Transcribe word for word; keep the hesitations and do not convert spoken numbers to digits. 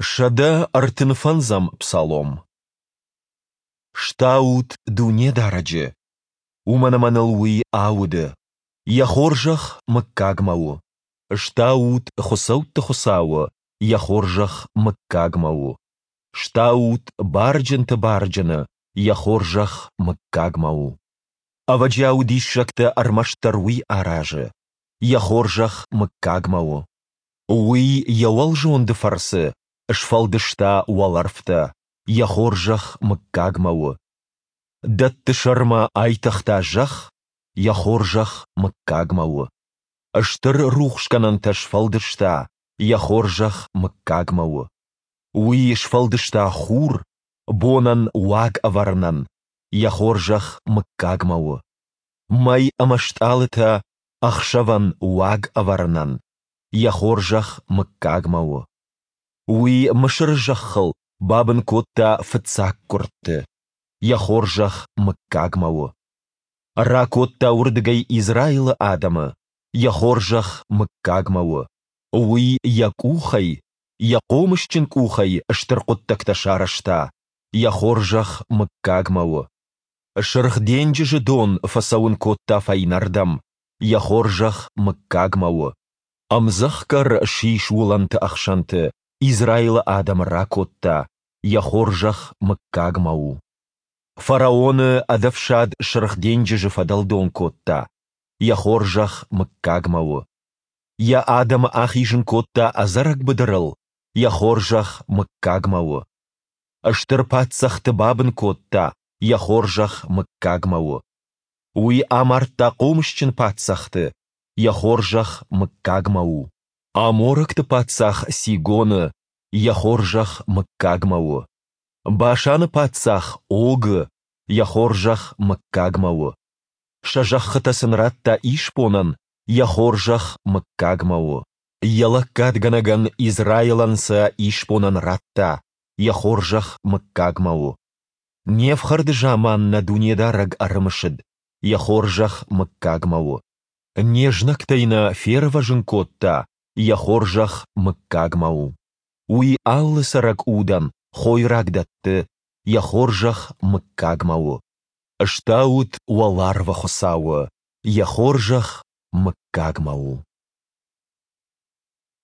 Сӕдӕ ӕртын фӕндзӕм псалом. Стаут Дунедарӕджы, уымӕн ӕмӕ ныл Уый ауды, Йӕ хорзӕх мыггагмӕ у. Стаут хуыцӕутты Хуыцауы, Йӕ хорзӕх мыггагмӕ у. Стаут барджынты Барджыны, Йӕ хорзӕх мыггагмӕ у. Ӕвӕджиауы диссӕгтӕ ӕрмӕстдӕр Уый аразы, Йӕ хорзӕх мыггагмӕ у. Уый Йӕ уӕлзонды фӕрцы сфӕлдыста уӕлӕрвтӕ, Йӕ хорзӕх мыггагмӕ у. Дӕтты сӕрмӕ айтыгъта зӕхх, Йӕ хорзӕх мыггагмӕ у. Стыр рухсгӕнӕнтӕ сфӕлдыста, Йӕ хорзӕх мыггагмӕ у. Уый сфӕлдыста хур, бонӕн уаг ӕвӕрынӕн, Йӕ хорзӕх мыггагмӕ у. Мӕй ӕмӕ стъалытӕ ӕхсӕвӕн уаг ӕвӕрынӕн, Йӕ хорзӕх мыггагмӕ у. Уый Мысыры зӕххыл бабын кодта фыццаггуырдты, Йӕ хорзӕх мыггагмӕ у. Ракодта уырдыгӕй Израилы адӕмы, Йӕ хорзӕх мыггагмӕ у. Уый Йӕ къухӕй, Йӕ хъомысджын къухӕй стыр хъуыддӕгтӕ сарӕзта, Йӕ хорзӕх мыггагмӕ у. Сырх денджызы дон фӕцӕуын кодта фӕйнӕрдӕм, Йӕ хорзӕх мыггагмӕ у. Ӕмдзӕхгӕр сис уылӕнты ӕхсӕнты Израилы адӕмы ракодта, Йӕ хорзӕх мыггагмӕ у. Фараоны ӕдӕфсад Сырх денджызы фӕдӕлдон кодта, Йӕ хорзӕх мыггагмӕ у. Йӕ адӕмы ахизын кодта ӕдзӕрӕг быдырыл, Йӕ хорзӕх мыггагмӕ у. Стыр паддзӕхты бабын кодта, Йӕ хорзӕх мыггагмӕ у. Уый амардта хъомысджын паддзӕхты, Йӕ хорзӕх мыггагмӕ у. Аморӕгты паддзах Сигоны, Йӕ хорзӕх мыггагмӕ у. Башаны паддзах Огы, Йӕ хорзӕх мыггагмӕ у. Сӕ зӕххытӕ сын радта исбонӕн, Йӕ хорзӕх мыггагмӕ у. Йӕ лӕггадгӕнӕгӕн Израилӕн сӕ исбонӕн радта, Йӕ хорзӕх мыггагмӕ у. Не фхӕрды заман нӕ Дунедарӕг ӕрымысыд, Йӕ хорзӕх мыггагмӕ у. Не знӕгтӕй нӕ фервӕзын кодта, Йӕ хорзӕх мыггагмӕ у. Уый алы цӕрӕг удӕн хойраг дӕтты, Йӕ хорзӕх мыггагмӕ у. Стаут уӕларвы Хуыцауы, Йӕ хорзӕх мыггагмӕ у.